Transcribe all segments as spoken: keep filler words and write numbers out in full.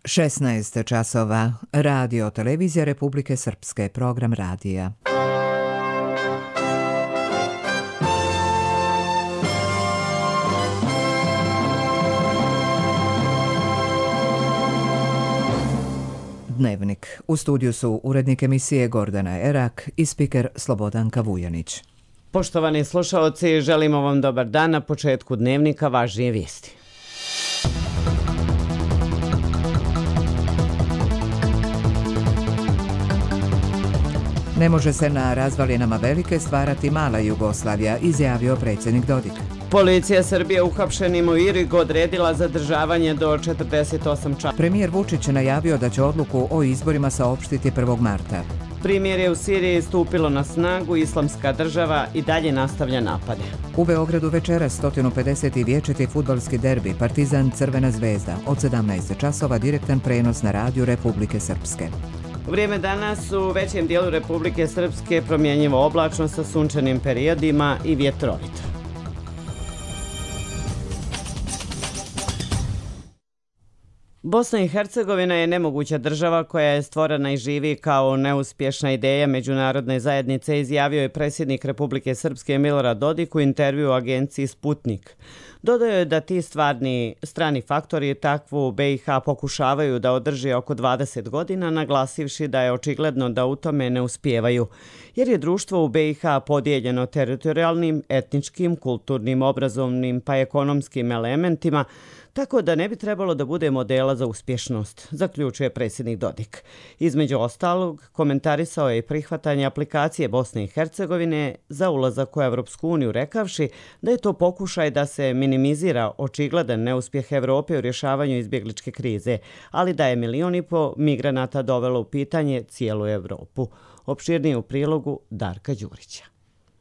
šesnaest časova. Radio Televizija Republike Srpske, program radija. Dnevnik. U studiju su urednik emisije Gordana Erak i spiker Slobodanka Vujanić. Poštovani slušaoci, želimo vam dobar dan. Na početku dnevnika važnije vijesti. Ne može se na razvalinama velike stvarati mala Jugoslavija, izjavio predsjednik Dodik. Policija Srbije uhapšenim u Irigu odredila zadržavanje do četrdeset osam časova. Premijer Vučić najavio da će odluku o izborima saopštiti prvog marta. Primirje u Siriji stupilo na snagu, Islamska država i dalje nastavlja napade. U Beogradu večeras sto pedeset vječiti fudbalski derbi Partizan Crvena zvezda od sedamnaest časova, direktan prenos na radiju Republike Srpske. Vrijeme danas u većem dijelu Republike Srpske promjenjivo oblačno sa sunčanim periodima i vjetrovito. Bosna i Hercegovina je nemoguća država koja je stvorena i živi kao neuspješna ideja međunarodne zajednice, izjavio je predsjednik Republike Srpske Milorad Dodik u intervju u agenciji Sputnik. Dodao je da ti stvarni strani faktori takvu B i H pokušavaju da održi oko dvadeset godina, naglasivši da je očigledno da u tome ne uspijevaju, jer je društvo u B i H podijeljeno teritorijalnim, etničkim, kulturnim, obrazovnim pa ekonomskim elementima, tako da ne bi trebalo da bude modela za uspješnost, zaključuje predsjednik Dodik. Između ostalog, komentarisao je i prihvatanje aplikacije Bosne i Hercegovine za ulazak u Evropsku uniju, rekavši da je to pokušaj da se minimizira očigledan neuspjeh Evrope u rješavanju izbjegličke krize, ali da je milion i po migranata dovelo u pitanje cijelu Evropu. Opširnije u prilogu Darka Đurića.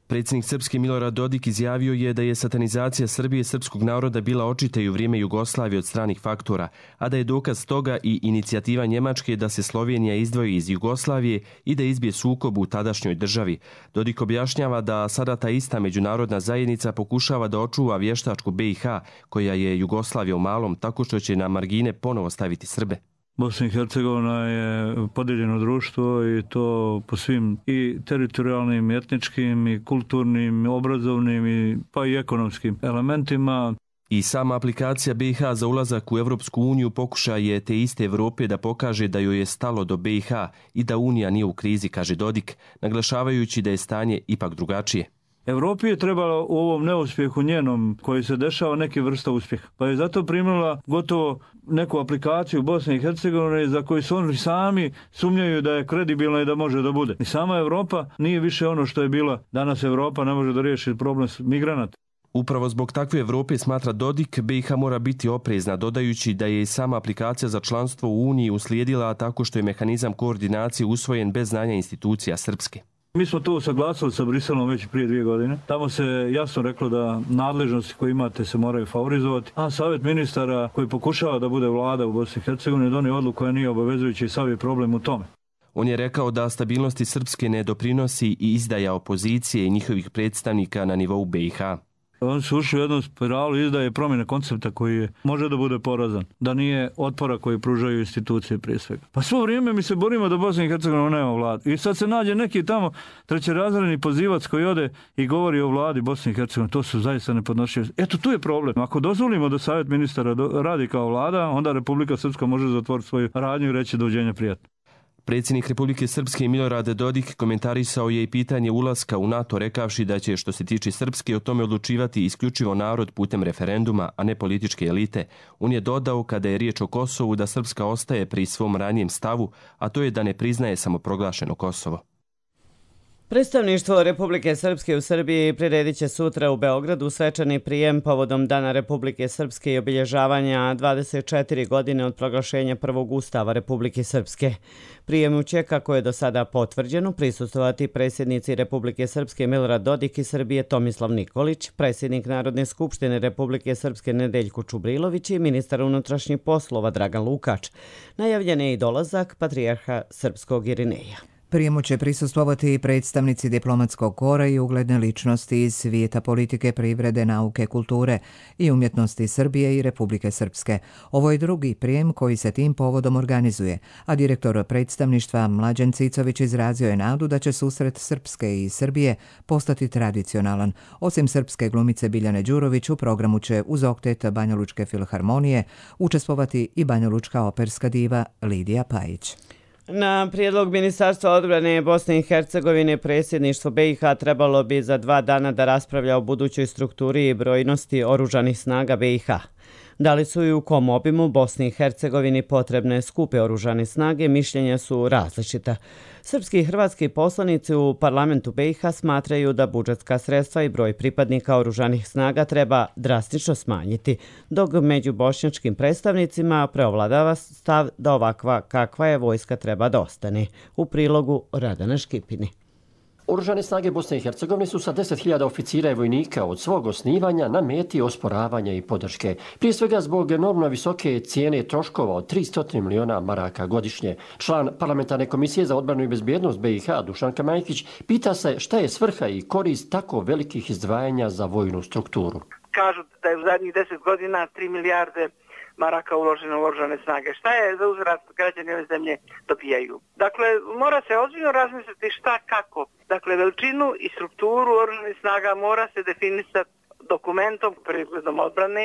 Predsjednik Srpske Milorad Dodik izjavio je da je satanizacija Srbije i srpskog naroda bila očita i u vrijeme Jugoslavije od stranih faktora, a da je dokaz toga i inicijativa Njemačke da se Slovenija izdvoji iz Jugoslavije i da izbije sukob u tadašnjoj državi. Dodik objašnjava da sada ta ista međunarodna zajednica pokušava da očuva vještačku B i H, koja je Jugoslavija u malom, tako što će na margine ponovo staviti Srbe. Bosna i Hercegovina je podijeljeno društvo i to po svim i teritorijalnim, i etničkim, i kulturnim, i obrazovnim, i pa i ekonomskim elementima. I sama aplikacija B i H za ulazak u Evropsku uniju pokušaj je te iste Evrope da pokaže da joj je stalo do B i H i da Unija nije u krizi, kaže Dodik, naglašavajući da je stanje ipak drugačije. Evropi je trebalo u ovom neuspjehu njenom koji se dešava neki vrsta uspjeha. Pa je zato primila gotovo neku aplikaciju Bosne i Hercegovine za koju su oni sami sumnjaju da je kredibilna i da može da bude. I sama Evropa nije više ono što je bila. Danas Evropa ne može da riješi problem migranata. Upravo zbog takve Evrope, smatra Dodik, B i H mora biti oprezna, dodajući da je i sama aplikacija za članstvo u Uniji uslijedila tako što je mehanizam koordinacije usvojen bez znanja institucija srpske. Mi smo to usaglasili sa Briselom već prije dvije godine. Tamo se jasno reklo da nadležnosti koje imate se moraju favorizovati, a Savjet ministara koji pokušava da bude vlada u Bosni i Hercegovini donio odluku koja nije obavezujuća i sav je problem u tome. On je rekao da stabilnosti srpske ne doprinosi i izdaja opozicije i njihovih predstavnika na nivou B i H. Oni su ušli u jednu spiralu izdaje promjene koncepta koji je, može da bude porazan, da nije otpora koji pružaju institucije prije svega. Pa svo vrijeme mi se borimo da Bosna i Hercegovina nema vladu. I sad se nađe neki tamo trećerazredni pozivac koji ode i govori o vladi Bosne i Hercegovine. To su zaista nepodnošljive. Eto, tu je problem. Ako dozvolimo da Savjet ministara radi kao vlada, onda Republika Srpska može zatvoriti svoju radnju i reći doviđenja prijatno. Predsjednik Republike Srpske Milorad Dodik komentarisao je i pitanje ulaska u NATO, rekavši da će, što se tiče Srpske, o tome odlučivati isključivo narod putem referenduma, a ne političke elite. On je dodao, kada je riječ o Kosovu, da Srpska ostaje pri svom ranijem stavu, a to je da ne priznaje samoproglašeno Kosovo. Predstavništvo Republike Srpske u Srbiji priredit će sutra u Beogradu svečani prijem povodom Dana Republike Srpske i obilježavanja dvadeset četiri godine od proglašenja prvog ustava Republike Srpske. Prijemu će, kako je do sada potvrđeno, prisustvovati predsjednici Republike Srpske Milorad Dodik i Srbije Tomislav Nikolić, predsjednik Narodne skupštine Republike Srpske Nedeljko Čubrilović i ministar unutrašnjih poslova Dragan Lukač. Najavljen je i dolazak patrijarha srpskog Irineja. Prijemu će prisustvovati i predstavnici diplomatskog kora i ugledne ličnosti iz svijeta politike, privrede, nauke, kulture i umjetnosti Srbije i Republike Srpske. Ovo je drugi prijem koji se tim povodom organizuje, a direktor predstavništva Mlađan Cicović izrazio je nadu da će susret Srpske i Srbije postati tradicionalan. Osim srpske glumice Biljane Đurović, u programu će uz oktet Banjalučke filharmonije učestvovati i banjalučka operska diva Lidija Pajić. Na prijedlog Ministarstva odbrane Bosne i Hercegovine predsjedništvo B i H trebalo bi za dva dana da raspravlja o budućoj strukturi i brojnosti oružanih snaga B i H. Da li su i u kom obimu Bosni i Hercegovini potrebne skupe oružane snage, mišljenja su različita. Srpski i hrvatski poslanici u parlamentu B i H smatraju da budžetska sredstva i broj pripadnika oružanih snaga treba drastično smanjiti, dok među bošnjačkim predstavnicima preovladava stav da ovakva kakva je vojska treba da ostane. U prilogu Radana Škipini. Oružane snage Bosne i Hercegovine su sa deset hiljada oficira i vojnika od svog osnivanja na meti osporavanja i podrške. Prije svega zbog enormno visoke cijene troškova od tristo miliona maraka godišnje. Član parlamentarne komisije za odbranu i bezbjednost B i H Dušan Kamajkić pita se šta je svrha i korist tako velikih izdvajanja za vojnu strukturu. Kažu da je u zadnjih deset godina tri milijarde maraka uloženo u oružane snage. Šta je za uzvrat građani ove zemlje dobijaju? Dakle, mora se ozbiljno razmisliti šta, kako. Dakle, veličinu i strukturu oružanih snaga mora se definisati dokumentom, pregledom odbrane,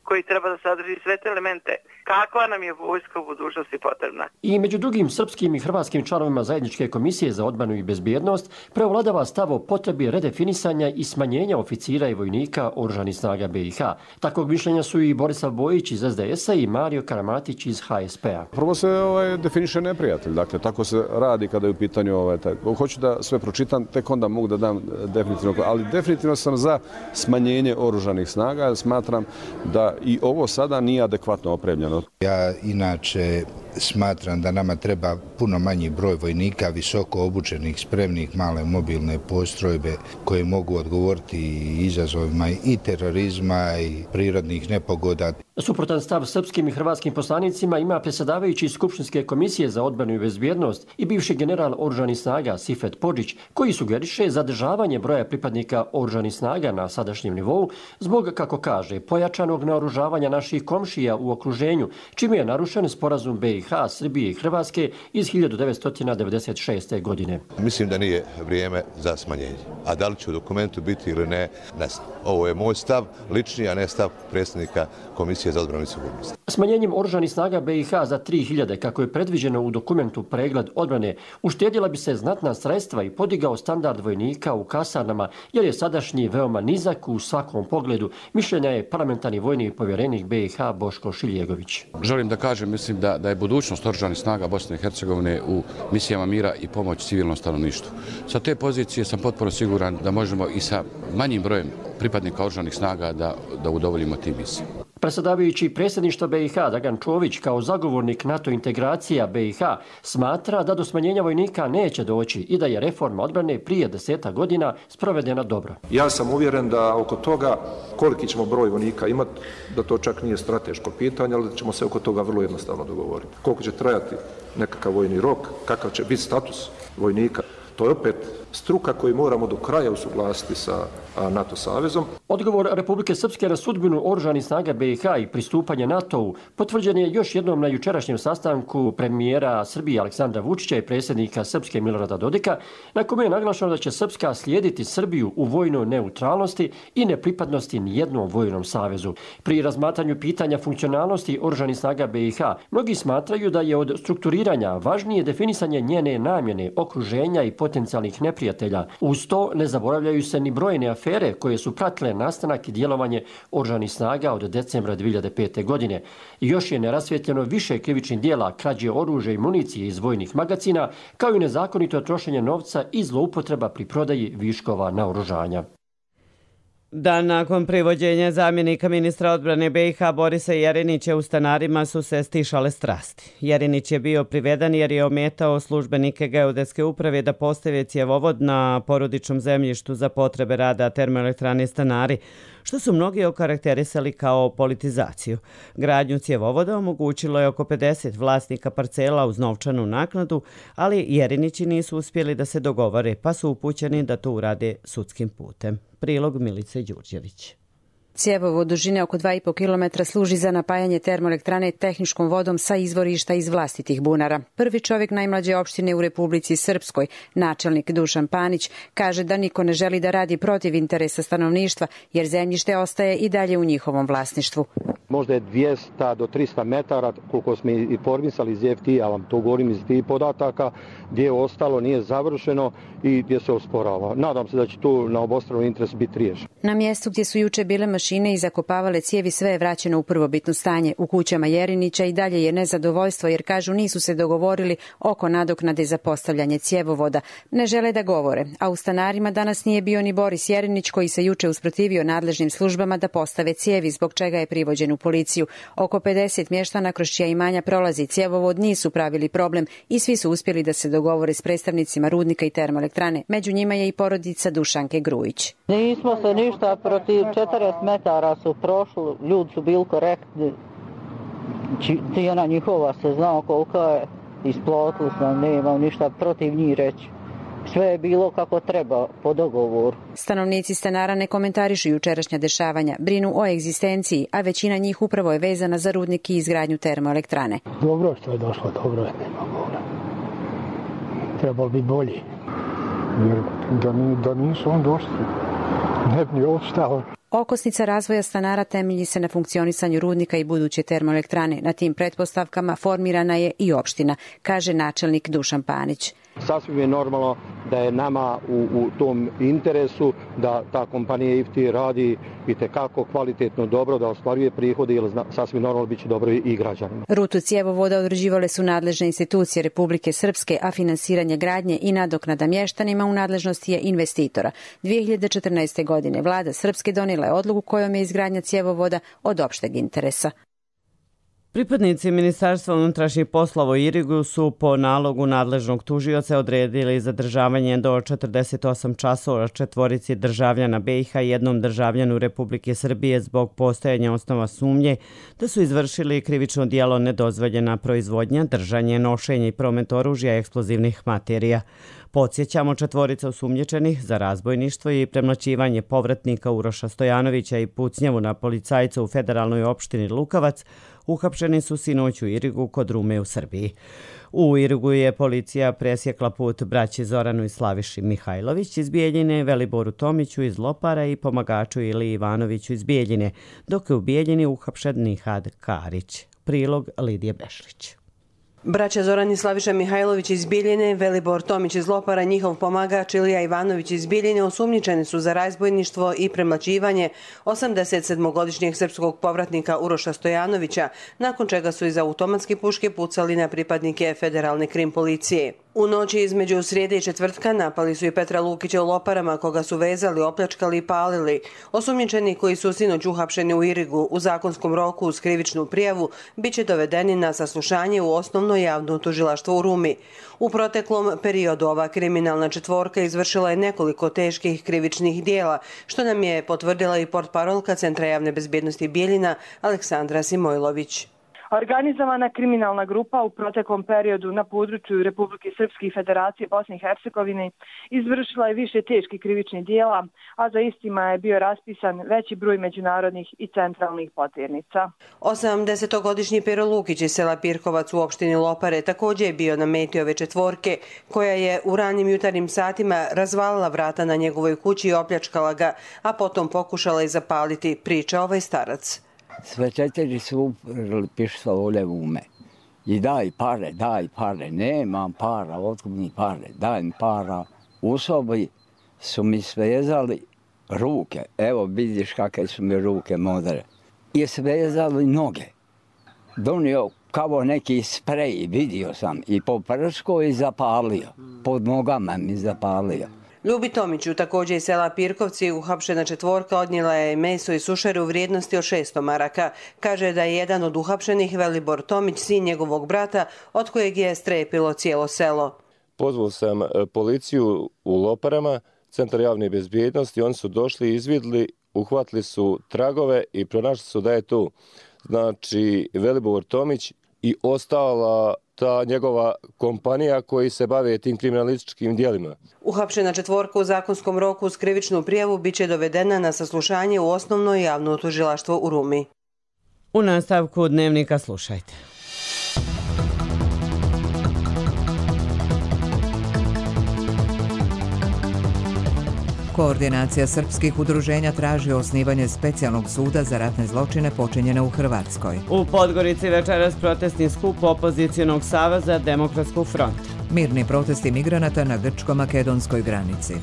koji treba da sadrži sve te elemente. Kakva nam je vojska u budućnosti potrebna? I među drugim srpskim i hrvatskim članovima zajedničke komisije za odbranu i bezbjednost preovladava stav o potrebi redefinisanja i smanjenja oficira i vojnika oružanih snaga B i H. Takvog mišljenja su i Borislav Bojić iz S D S-a i Mario Karamatić iz H S P-a. Prvo se ovaj, definiše neprijatelj, dakle tako se radi kada je u pitanju ovaj, taj. Hoću da sve pročitam, tek onda mogu da dam definitivno, ali definitivno sam za smanjenje oružanih snaga, jer smatram da i ovo sada nije adekvatno opremljeno. Ja inače smatram da nama treba puno manji broj vojnika, visoko obučenih, spremnih, male mobilne postrojbe koje mogu odgovoriti izazovima i terorizma i prirodnih nepogoda. Suprotan stav srpskim i hrvatskim poslanicima ima predsjedavajući iz Skupštinske komisije za odbranu i bezbjednost i bivši general oružanih snaga Sifet Podžić, koji sugeriše zadržavanje broja pripadnika oružanih snaga na sadašnjem nivou zbog, kako kaže, pojačanog naoružavanja naših komšija u okruženju, čime je narušen sporazum B i H, Srbije i Hrvatske iz hiljadu devetsto devedeset šeste. godine. Mislim da nije vrijeme za smanjenje. A da li će u dokumentu biti ili ne, ne znam. Ovo je moj stav, lični, a ne stav predsjednika Komisije za odbranu i sigurnost. Smanjenjem oružanih snaga B i H za tri hiljade, kako je predviđeno u dokumentu pregled odbrane, uštedjela bi se znatna sredstva i podigao standard vojnika u kasarnama, jer je sadašnji veoma nizak u svakom pogledu, mišljenja je parlamentarni vojni povjerenik B i H Boško Šiljegović. Želim da kažem, mislim da, da je budućnost oružanih snaga Bosne i Hercegovine u misijama mira i pomoć civilnom stanovništvu. Sa te pozicije sam potpuno siguran da možemo i sa manjim brojem pripadnika oružanih snaga da, da udovoljimo tim misijama. Predsjedavajući predsjedništva B i H Dragan Čović kao zagovornik NATO integracija B i H smatra da do smanjenja vojnika neće doći i da je reforma odbrane prije deseta godina sprovedena dobro. Ja sam uvjeren da oko toga koliki ćemo broj vojnika imati, da to čak nije strateško pitanje, ali da ćemo se oko toga vrlo jednostavno dogovoriti. Koliko će trajati nekakav vojni rok, kakav će biti status vojnika. To je opet struka koju moramo do kraja usuglasiti sa NATO savezom. Odgovor Republike Srpske na sudbinu oružanih snaga B i H i pristupanje NATO-u potvrđen je još jednom na jučerašnjem sastanku premijera Srbije Aleksandra Vučića i predsjednika Srpske Milorada Dodika, na kome je naglašeno da će Srpska slijediti Srbiju u vojnoj neutralnosti i nepripadnosti nijednom vojnom savezu. Pri razmatranju pitanja funkcionalnosti oružanih snaga B i H, mnogi smatraju da je od strukturiranja važnije definisanje njene namjene, okruženja i potencijalnih neprijatelja. Uz to ne zaboravljaju se ni brojne afere koje su pratile nastanak i djelovanje oružanih snaga od decembra dvije hiljade pete. godine. I još je nerasvjetljeno više krivičnih dijela krađe oružja i municije iz vojnih magacina, kao i nezakonito trošenje novca i zloupotreba pri prodaji viškova naoružanja. Dan nakon privođenja zamjenika ministra odbrane B i H Borisa Jerinića u Stanarima su se stišale strasti. Jerinić je bio priveden jer je ometao službenike geodetske uprave da postave cjevovod na porodičnom zemljištu za potrebe rada termoelektrane Stanari, što su mnogi okarakterisali kao politizaciju. Gradnju cjevovoda omogućilo je oko pedeset vlasnika parcela uz novčanu naknadu, ali Jerinići nisu uspjeli da se dogovore, pa su upućeni da to urade sudskim putem. Prilog Milice Đurđević. Cjevovod dužine oko dva i po kilometra služi za napajanje termoelektrane tehničkom vodom sa izvorišta iz vlastitih bunara. Prvi čovjek najmlađe opštine u Republici Srpskoj, načelnik Dušan Panić, kaže da niko ne želi da radi protiv interesa stanovništva, jer zemljište ostaje i dalje u njihovom vlasništvu. Možda je dvjesto do trista metara, koliko smo informisali iz F T, ja vam to govorim iz tih podataka, gdje je ostalo, nije završeno i gdje se osporava. Nadam se da će tu na obostrano interes biti riješeno. Na mjestu gdje su juče bile mašine i zakopavale cijevi, sve je vraćeno u prvobitno stanje. U kućama Jerinića i dalje je nezadovoljstvo jer kažu nisu se dogovorili oko nadoknade za postavljanje cjevovoda. Ne žele da govore, a u Stanarima danas nije bio ni Boris Jerinić koji se juče usprotivio nadležnim službama da postave cijevi, zbog čega je privođen u policiju. Oko pedeset mještana kroz čija imanja prolazi cjevovod nisu pravili problem i svi su uspjeli da se dogovore s predstavnicima rudnika i termoelektrane. Među njima je i porodica Dušanke Grujić. Nismo se ništa protiv, četrdeset metara su prošli, ljudi su bili korektni. Cijena njihova se znao koliko je, isplotili sam, ne imam ništa protiv njih reći. Sve je bilo kako treba, po dogovoru. Stanovnici Stanara ne komentarišu jučerašnja dešavanja, brinu o egzistenciji, a većina njih upravo je vezana za rudnik i izgradnju termoelektrane. Dobro što je došlo, dobro je, nema govora. Trebalo biti bolji, jer da, ni, da nisu on došli, ne bi ni opstao. Okosnica razvoja Stanara temelji se na funkcionisanju rudnika i buduće termoelektrane. Na tim pretpostavkama formirana je i opština, kaže načelnik Dušan Panić. Sasvim je normalno da je nama u, u tom interesu da ta kompanija I F T radi itekako kvalitetno dobro, da ostvaruje prihode, jer sasvim normalno bit će dobro i građanima. Rutu cjevovoda određivale su nadležne institucije Republike Srpske, a finansiranje gradnje i nadoknada mještanima u nadležnosti je investitora. dvije hiljade četrnaeste. godine vlada Srpske donijela je odluku kojom je izgradnja cjevovoda od opšteg interesa. Pripadnici Ministarstva unutrašnjih poslova u Irigu su po nalogu nadležnog tužioca odredili zadržavanje do četrdeset osam časova četvorici državljana B i H i jednom državljanu Republike Srbije zbog postojanja osnova sumnje da su izvršili krivično djelo nedozvoljena proizvodnja, držanje, nošenje i promet oružja i eksplozivnih materija. Podsjećamo, četvorica osumnjičenih za razbojništvo i premlaćivanje povratnika Uroša Stojanovića i pucnjavu na policajca u federalnoj opštini Lukavac uhapšeni su sinoć u Irigu kod Rume u Srbiji. U Irigu je policija presjekla put braći Zoranu i Slaviši Mihajlović iz Bijeljine, Veliboru Tomiću iz Lopara i pomagaču Ili Ivanoviću iz Bijeljine, dok je u Bijeljini uhapšen Nihad Karić. Prilog Lidije Bešlić. Braća Zoran i Slaviša Mihajlović iz Bijeljine, Velibor Tomić iz Lopara, njihov pomagač Ilija Ivanović iz Bijeljine osumnjičeni su za razbojništvo i premlaćivanje osamdeset sedmogodišnjeg srpskog povratnika Uroša Stojanovića, nakon čega su iz automatske puške pucali na pripadnike federalne krim policije. U noći između srijede i četvrtka napali su i Petra Lukića u Loparama, koga su vezali, opljačkali i palili. Osumnjičeni koji su sinoć uhapšeni u Irigu u zakonskom roku uz krivičnu prijavu bit će dovedeni na saslušanje u osnovno javno tužilaštvo u Rumi. U proteklom periodu ova kriminalna četvorka izvršila je nekoliko teških krivičnih dijela, što nam je potvrdila i portparolka Centra javne bezbjednosti Bijeljina Aleksandra Simojlović. Organizovana kriminalna grupa u proteklom periodu na području Republike Srpske i Federacije Bosne i Hercegovine izvršila je više teških krivičnih dijela, a za istima je bio raspisan veći broj međunarodnih i centralnih poternica. osamdesetogodišnji Pero Lukić iz sela Pirkovac u opštini Lopare također je bio na meti ove četvorke, koja je u ranim jutarnjim satima razvalila vrata na njegovoj kući i opljačkala ga, a potom pokušala i zapaliti, priča ovaj starac. Sve četiri su uprli pištolje u me. I daj pare, daj pare, nemam para, otkud mi pare, daj mi para. U sobi su mi svezali ruke, evo vidiš kakve su mi ruke modre. I svezali noge. Donio kao neki sprej, vidio sam, i po prsko i zapalio, pod nogama mi zapalio. Ljubi Tomiću, također iz sela Pirkovci, uhapšena četvorka odnijela je meso i sušare u vrijednosti od šesto maraka. Kaže da je jedan od uhapšenih Velibor Tomić, sin njegovog brata, od kojeg je strepilo cijelo selo. Pozvao sam policiju u Loparama, centar javne bezbjednosti, oni su došli, izvidli, uhvatili su tragove i pronašli su da je tu znači Velibor Tomić i ostala ta njegova kompanija koji se bave tim kriminalističkim djelima. Uhapšena četvorka u zakonskom roku uz krivičnu prijavu biće dovedena na saslušanje u osnovno javno tužilaštvo u Rumi. U nastavku dnevnika slušajte. Koordinacija srpskih udruženja traži osnivanje specijalnog suda za ratne zločine počinjene u Hrvatskoj. U Podgorici večeras protestni skup Opozicijonog saveza Demokratskog fronta. Mirni protesti migranata na grčko-makedonskoj granici.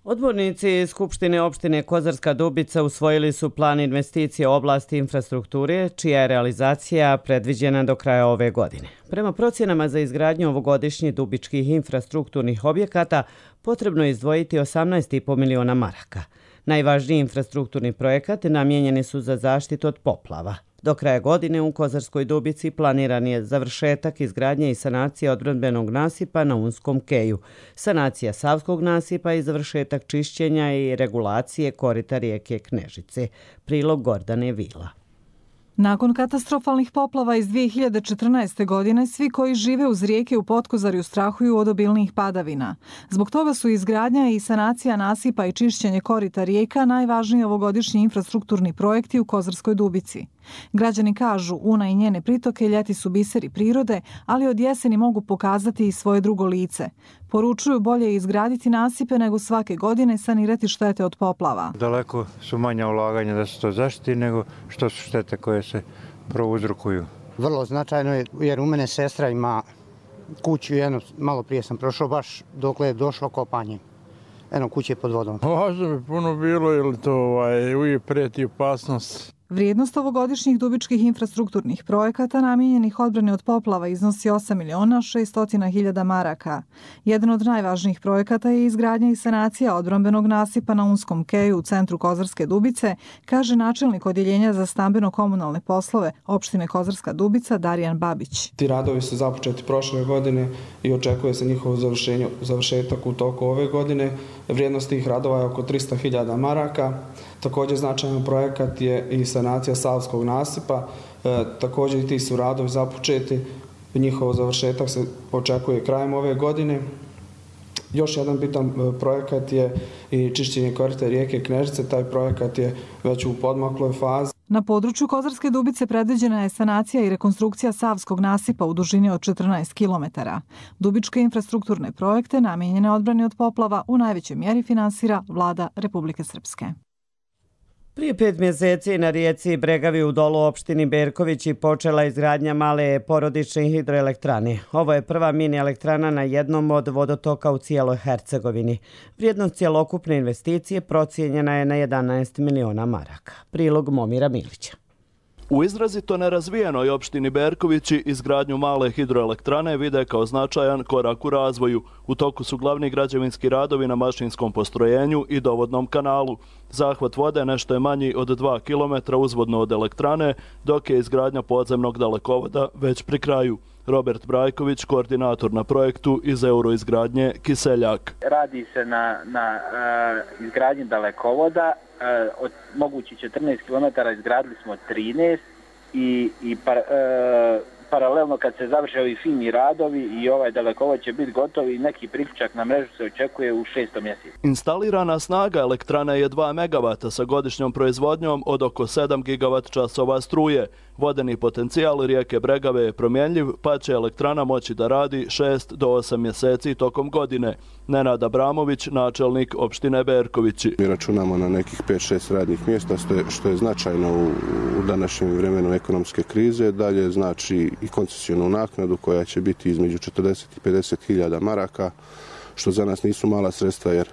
Odbornici Skupštine opštine Kozarska Dubica usvojili su plan investicije u oblasti infrastrukture, čija je realizacija predviđena do kraja ove godine. Prema procjenama za izgradnju ovogodišnjih dubičkih infrastrukturnih objekata potrebno je izdvojiti osamnaest i po miliona maraka. Najvažniji infrastrukturni projekat namijenjeni su za zaštitu od poplava. Do kraja godine u Kozarskoj Dubici planiran je završetak izgradnje i sanacije odbrambenog nasipa na Unskom keju, sanacija Savskog nasipa i završetak čišćenja i regulacije korita rijeke Knežice. Prilog Gordane Vila. Nakon katastrofalnih poplava iz dvije hiljade četrnaeste. godine, svi koji žive uz rijeke u Potkozarju strahuju od obilnijih padavina. Zbog toga su izgradnja i sanacija nasipa i čišćenje korita rijeka najvažniji ovogodišnji infrastrukturni projekti u Kozarskoj Dubici. Građani kažu, Una i njene pritoke ljeti su biseri prirode, ali od jeseni mogu pokazati i svoje drugo lice. Poručuju bolje izgraditi nasipe nego svake godine sanirati štete od poplava. Daleko su manja ulaganja da se to zaštiti nego što su štete koje se prouzrokuju. Vrlo značajno je jer u mene sestra ima kuću, jedno, malo prije sam prošao baš dokle je došlo kopanje. Eno kuće pod vodom. Važno bi puno bilo jer to ovaj, uvijek prijeti opasnost. Vrijednost ovogodišnjih dubičkih infrastrukturnih projekata namijenjenih odbrani od poplava iznosi osam miliona šesto hiljada maraka. Jedan od najvažnijih projekata je izgradnja i sanacija odbrambenog nasipa na Unskom keju u centru Kozarske Dubice, kaže načelnik odjeljenja za stambeno-komunalne poslove opštine Kozarska Dubica Darijan Babić. Ti radovi su započeti prošle godine i očekuje se njihovo završetak u toku ove godine. Vrijednost tih radova je oko tristo hiljada maraka. Također značajan projekat je i sanacija Savskog nasipa. E, također i ti su radovi započeti. Njihov završetak se očekuje krajem ove godine. Još jedan bitan projekat je i čišćenje korita rijeke Knežice. Taj projekat je već u podmakloj fazi. Na području Kozarske Dubice predviđena je sanacija i rekonstrukcija Savskog nasipa u dužini od četrnaest kilometara. Dubičke infrastrukturne projekte namijenjene odbrani od poplava u najvećoj mjeri finansira vlada Republike Srpske. Prije pet mjeseci na rijeci Bregavi u Dolu opštini Berkovići počela izgradnja male porodične hidroelektrane. Ovo je prva mini elektrana na jednom od vodotoka u cijeloj Hercegovini. Vrijednost cjelokupne investicije procijenjena je na jedanaest miliona maraka. Prilog Momira Milića. U izrazito nerazvijenoj opštini Berkovići izgradnju male hidroelektrane vide kao značajan korak u razvoju. U toku su glavni građevinski radovi na mašinskom postrojenju i dovodnom kanalu. Zahvat vode nešto je manji od dva kilometra uzvodno od elektrane, dok je izgradnja podzemnog dalekovoda već pri kraju. Robert Brajković, koordinator na projektu iz Euroizgradnje Kiseljak. Radi se na, na uh, izgradnji dalekovoda. Uh, od mogući četrnaest kilometara izgradili smo trinaest i, i par, uh, paralelno kad se završe ovi fini radovi i ovaj dalekovod će biti gotov i neki priključak na mrežu se očekuje u šestom mjesecu. Instalirana snaga elektrane je dva megavata sa godišnjom proizvodnjom od oko sedam gigavat časova struje. Vodeni potencijal rijeke Bregave je promjenljiv, pa će elektrana moći da radi šest do osam mjeseci tokom godine. Nenad Abramović, načelnik opštine Berkovići. Mi računamo na nekih pet šest radnih mjesta, što je značajno u, u današnjem vremenu ekonomske krize. Dalje znači i koncesionu naknadu koja će biti između četrdeset i pedeset hiljada maraka, što za nas nisu mala sredstva jer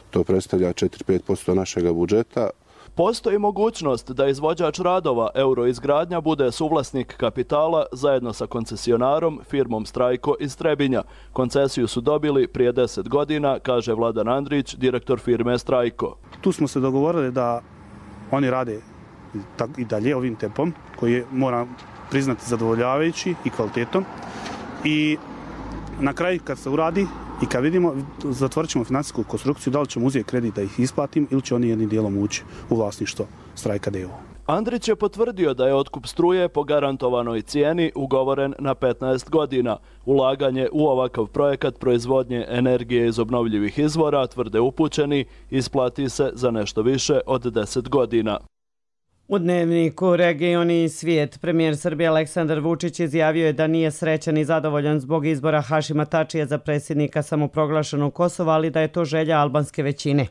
to predstavlja četiri do pet posto našega budžeta. Postoji mogućnost da izvođač radova Euroizgradnja bude suvlasnik kapitala zajedno sa koncesionarom firmom Strajko iz Trebinja. Koncesiju su dobili prije deset godina, kaže Vladan Andrić, direktor firme Strajko. Tu smo se dogovorili da oni rade i dalje ovim tempom, koji je, moram priznati, zadovoljavajući i kvalitetom. I na kraju kad se uradi i kad vidimo, zatvorit ćemo financijsku konstrukciju, da li ćemo uzeti kredit da ih isplatim ili će oni jednim dijelom ući u vlasništvo Strajka d o o. Andrić je potvrdio da je otkup struje po garantovanoj cijeni ugovoren na petnaest godina. Ulaganje u ovakav projekat proizvodnje energije iz obnovljivih izvora, tvrde upućeni, isplati se za nešto više od deset godina. U dnevniku Region i svijet premijer Srbije Aleksandar Vučić izjavio je da nije srećan i zadovoljan zbog izbora Hašima Tačija za predsjednika samoproglašenog Kosova, ali da je to želja albanske većine.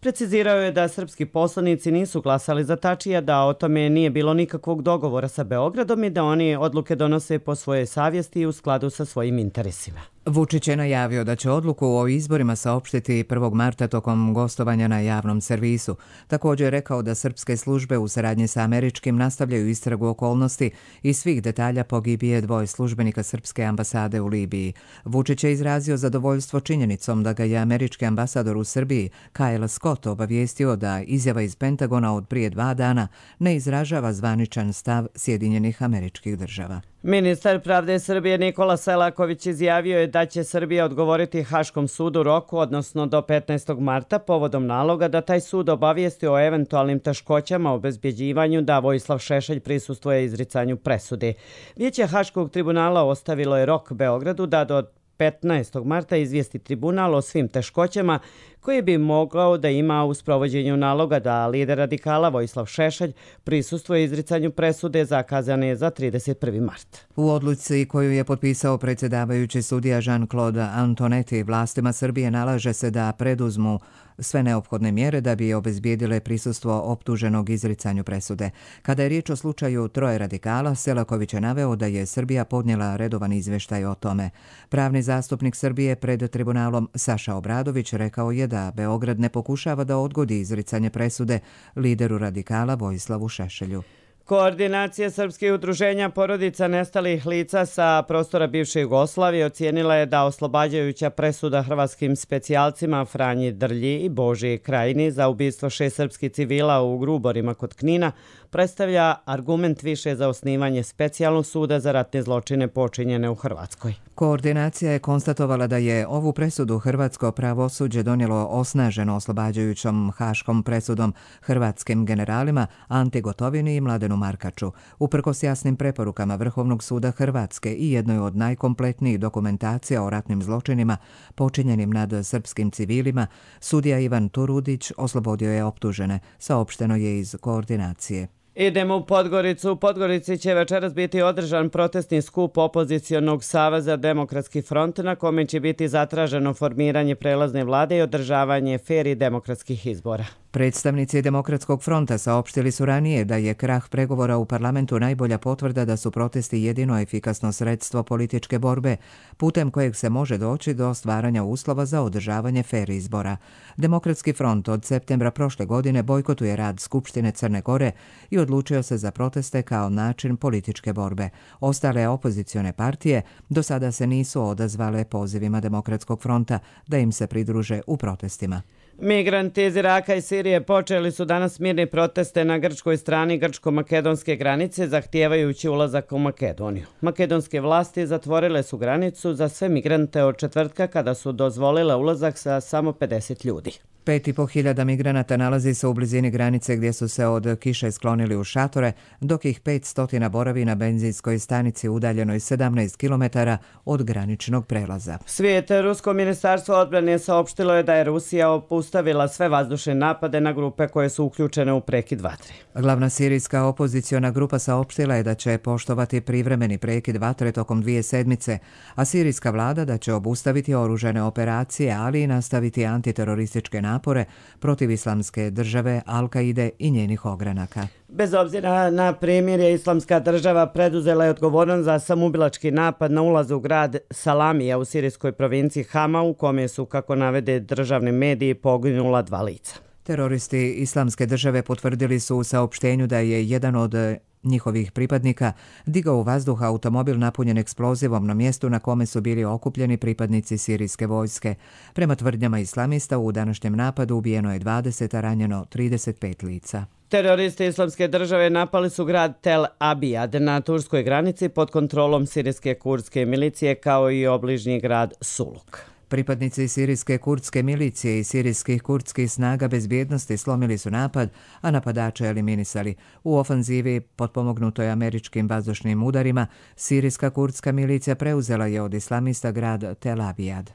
Precizirao je da srpski poslanici nisu glasali za Tačija, da o tome nije bilo nikakvog dogovora sa Beogradom i da oni odluke donose po svojoj savjesti i u skladu sa svojim interesima. Vučić je najavio da će odluku o izborima saopštiti prvog marta tokom gostovanja na javnom servisu. Također je rekao da srpske službe u saradnji sa američkim nastavljaju istragu okolnosti i svih detalja pogibije dvoje službenika srpske ambasade u Libiji. Vučić je izrazio zadovoljstvo činjenicom da ga je američki ambasador u Srbiji, Kyle Scott, obavijestio da izjava iz Pentagona od prije dva dana ne izražava zvaničan stav Sjedinjenih Američkih Država. Ministar pravde Srbije Nikola Selaković izjavio je da će Srbija odgovoriti Haškom sudu roku, odnosno do petnaestog marta, povodom naloga da taj sud obavijesti o eventualnim teškoćama o obezbjeđivanju da Vojislav Šešelj prisustvuje izricanju presude. Vijeće Haškog tribunala ostavilo je rok Beogradu da do petnaestog marta izvijesti tribunal o svim teškoćama koje bi mogao da ima u sprovođenju naloga da lider radikala Vojislav Šešelj prisustvuje izricanju presude zakazane za trideset prvi mart. U odluci koju je potpisao predsjedavajući sudija Jean-Claude Antonetti, vlastima Srbije nalaže se da preduzmu sve neophodne mjere da bi obezbijedile prisustvo optuženog izricanju presude. Kada je riječ o slučaju troje radikala, Selaković je naveo da je Srbija podnijela redovan izvještaj o tome. Pravni zastupnik Srbije pred tribunalom Saša Obradović rekao je da Beograd ne pokušava da odgodi izricanje presude lideru radikala Vojislavu Šešelju. Koordinacija srpskih udruženja porodica nestalih lica sa prostora bivše Jugoslavije ocijenila je da oslobađajuća presuda hrvatskim specijalcima Franji Drlji i Božiji Krajini za ubistvo šest srpskih civila u Gruborima kod Knina predstavlja argument više za osnivanje specijalnog suda za ratne zločine počinjene u Hrvatskoj. Koordinacija je konstatovala da je ovu presudu hrvatsko pravosuđe donijelo osnaženo oslobađajućom haškom presudom hrvatskim generalima Anti Gotovini i Mladenu Markaču. Uprkos jasnim preporukama Vrhovnog suda Hrvatske i jednoj od najkompletnijih dokumentacija o ratnim zločinima počinjenim nad srpskim civilima, sudija Ivan Turudić oslobodio je optužene, saopšteno je iz koordinacije. Idemo u Podgoricu. U Podgorici će večeras biti održan protestni skup opozicionog saveza Demokratski front na kome će biti zatraženo formiranje prelazne vlade i održavanje fer i demokratskih izbora. Predstavnici Demokratskog fronta saopštili su ranije da je krah pregovora u parlamentu najbolja potvrda da su protesti jedino efikasno sredstvo političke borbe, putem kojeg se može doći do stvaranja uslova za održavanje fer izbora. Demokratski front od septembra prošle godine bojkotuje rad Skupštine Crne Gore i odlučio se za proteste kao način političke borbe. Ostale opozicione partije do sada se nisu odazvale pozivima Demokratskog fronta da im se pridruže u protestima. Migranti iz Iraka i Sirije počeli su danas mirne proteste na grčkoj strani grčko-makedonske granice zahtijevajući ulazak u Makedoniju. Makedonske vlasti zatvorile su granicu za sve migrante od četvrtka kada su dozvolile ulazak sa samo pedeset ljudi. Pet i po hiljada migranata nalazi se u blizini granice gdje su se od kiše sklonili u šatore, dok ih pet stotina boravi na benzinskoj stanici udaljenoj sedamnaest kilometara od graničnog prelaza. Svijet, Rusko ministarstvo odbrane saopštilo je da je Rusija obustavila sve vazdušne napade na grupe koje su uključene u prekid vatre. Glavna sirijska opoziciona grupa saopštila je da će poštovati privremeni prekid vatre tokom dvije sedmice, a sirijska vlada da će obustaviti oružane operacije, ali i nastaviti antiterorističke napade napore protiv islamske države, Al-Kaide i njenih ogranaka. Bez obzira na primirje, islamska država preduzela je odgovornost za samoubilački napad na ulaz u grad Salamija u sirijskoj provinciji Hama, u kome su, kako navede državni mediji, poginula dva lica. Teroristi Islamske države potvrdili su u saopštenju da je jedan od njihovih pripadnika digao u vazduh automobil napunjen eksplozivom na mjestu na kome su bili okupljeni pripadnici sirijske vojske. Prema tvrdnjama islamista u današnjem napadu ubijeno je dvadeset, a ranjeno trideset pet lica. Teroristi Islamske države napali su grad Tel Abijad na turskoj granici pod kontrolom sirijske kurdske milicije kao i obližnji grad Suluk. Pripadnici sirijske kurdske milicije i sirijskih kurdskih snaga bezbjednosti slomili su napad, a napadače eliminisali. U ofanzivi, potpomognutoj američkim vazdušnim udarima, sirijska kurdska milicija preuzela je od islamista grad Tel Abijad.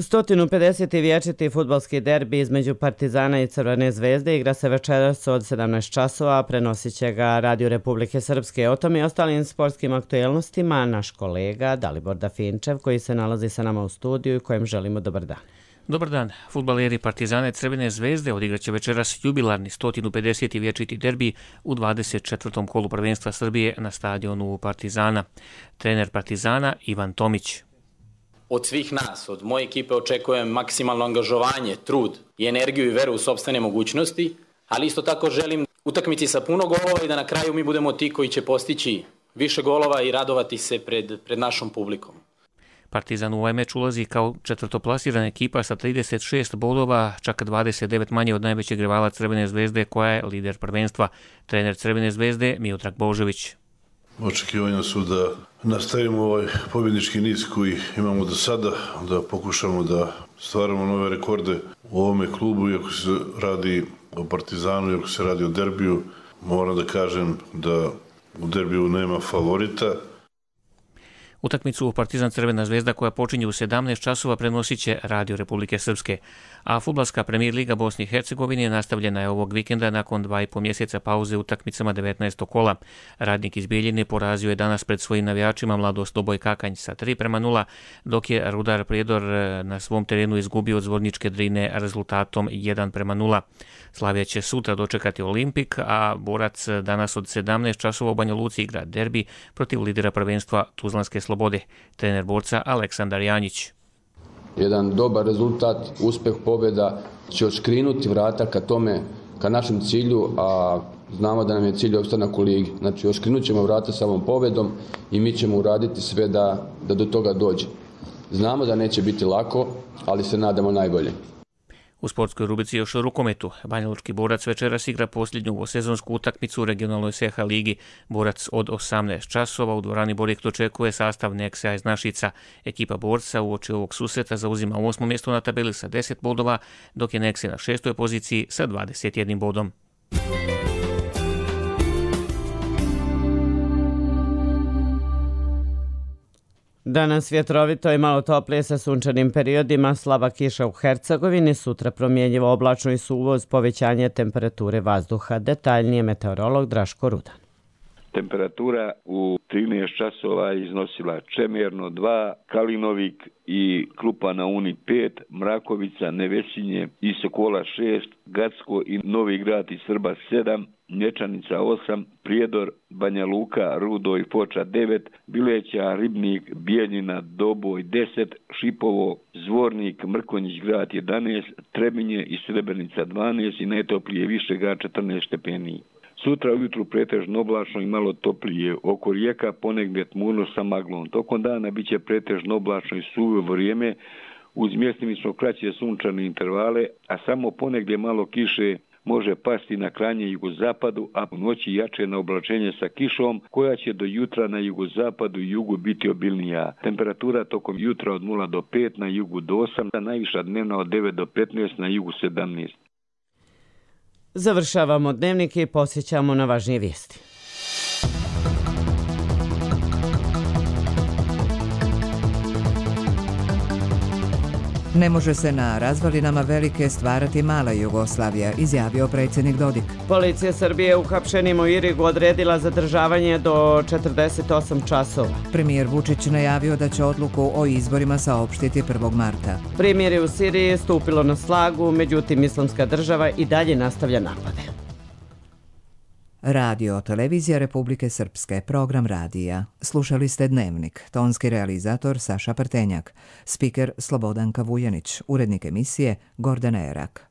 sto pedeset vječiti fudbalski derbi između Partizana i Crvene zvezde igra se večeras od sedamnaest časova, prenosit će ga Radio Republike Srpske. O tom i ostalim sportskim aktuelnostima naš kolega Dalibor Dafinčev, koji se nalazi sa nama u studiju i kojem želimo dobar dan. Dobar dan. Fudbaleri Partizana i Crvene zvezde odigraće večeras jubilarni sto pedeset vječiti derbi u dvadeset četvrtom kolu prvenstva Srbije na stadionu Partizana. Trener Partizana Ivan Tomić. Od svih nas, od moje ekipe očekujem maksimalno angažovanje, trud i energiju i veru u sopstvene mogućnosti, ali isto tako želim utakmici sa puno golova i da na kraju mi budemo ti koji će postići više golova i radovati se pred, pred našom publikom. Partizan u ovaj meč ulazi kao četvrtoplasirana ekipa sa trideset šest bodova, čak dvadeset devet manje od najvećeg rivala Crvene zvezde koja je lider prvenstva. Trener Crvene zvezde Miodrag Božović. Očekivanja su da nastavimo ovaj pobjednički niz koji imamo do sada, da pokušamo da stvaramo nove rekorde u ovome klubu, iako se radi o Partizanu, iako se radi o derbiju. Moram da kažem da u derbiju nema favorita. Utakmicu Partizan Crvena zvezda koja počinje u sedamnaest časova prenosit će Radio Republike Srpske, a fudbalska Premier Liga Bosne i Hercegovine nastavljena je ovog vikenda nakon dva i po mjeseca pauze utakmicama devetnaestog kola. Radnik iz Bijeljine porazio je danas pred svojim navijačima Mladost Doboj Kakanj sa tri prema nula, dok je Rudar Prijedor na svom terenu izgubio od Zvorničke Drine rezultatom jedan prema nula. Slavija će sutra dočekati Olimpik, a Borac danas od sedamnaest časova u Banja Luci igra derbi protiv lidera prvenstva Tuzlanske Slobode. Trener Borca Aleksandar Janjić. Jedan dobar rezultat, uspeh, pobjeda će odškrinuti vrata ka tome, ka našem cilju, a znamo da nam je cilj opstanak u ligi. Znači, odškrinut ćemo vrata sa ovom pobjedom i mi ćemo uraditi sve da, da do toga dođe. Znamo da neće biti lako, ali se nadamo najbolje. U sportskoj rubrici još o rukometu. Banjalučki Borac večeras igra posljednju sezonsku utakmicu u regionalnoj S H ligi. Borac od osamnaest časova u dvorani Borjekt očekuje sastav Neksa iz Našica. Ekipa Borca uoči ovog susreta zauzima osmo mjesto na tabeli sa deset bodova, dok je Neksi na šestoj poziciji sa dvadeset jednim bodom. Danas vjetrovito i malo toplije sa sunčanim periodima, slaba kiša u Hercegovini, sutra promjenjivo oblačno i suvo uz povećanje temperature vazduha. Detaljnije meteorolog Draško Rudan. Temperatura u trinaest časova iznosila Čemerno dva, Kalinovik i Klupa na Uni pet, Mrakovica, Nevesinje i Sokola šest, Gacko i Novi Grad i Srba sedam, Nječanica osam, Prijedor, Banja Luka, Rudo i Foča devet, Bileća, Ribnik, Bijeljina, Doboj deset, Šipovo, Zvornik, Mrkonjić Grad jedanaest, Trebinje i Srebrenica dvanaest i najtoplije Višegrad četrnaest stepeni. Sutra ujutru pretežno oblačno i malo toplije, oko rijeka ponegdje tmurno sa maglom. Tokom dana bit će pretežno oblačno i suvo vrijeme, uz mjestimično kraće sunčane intervale, a samo ponegdje malo kiše može pasti na krajnje jugozapadu, a u noći jače na oblačenje sa kišom, koja će do jutra na jugozapadu i jugu biti obilnija. Temperatura tokom jutra od nula do pet, na jugu do osam, a najviša dnevna od devet do petnaest, na jugu sedamnaest. Završavamo dnevnik i posjećamo na važnije vijesti. Ne može se na razvalinama velike stvarati mala Jugoslavija, izjavio predsjednik Dodik. Policija Srbije uhapšenim u Irigu odredila zadržavanje do četrdeset osam časova. Premijer Vučić najavio da će odluku o izborima saopštiti prvog marta. Primirje u Siriji stupilo na snagu, međutim Islamska država i dalje nastavlja napade. Radio Televizija Republike Srpske, program radija. Slušali ste Dnevnik, tonski realizator Saša Prtenjak, spiker Slobodanka Vujanić, urednik emisije Gordana Erak.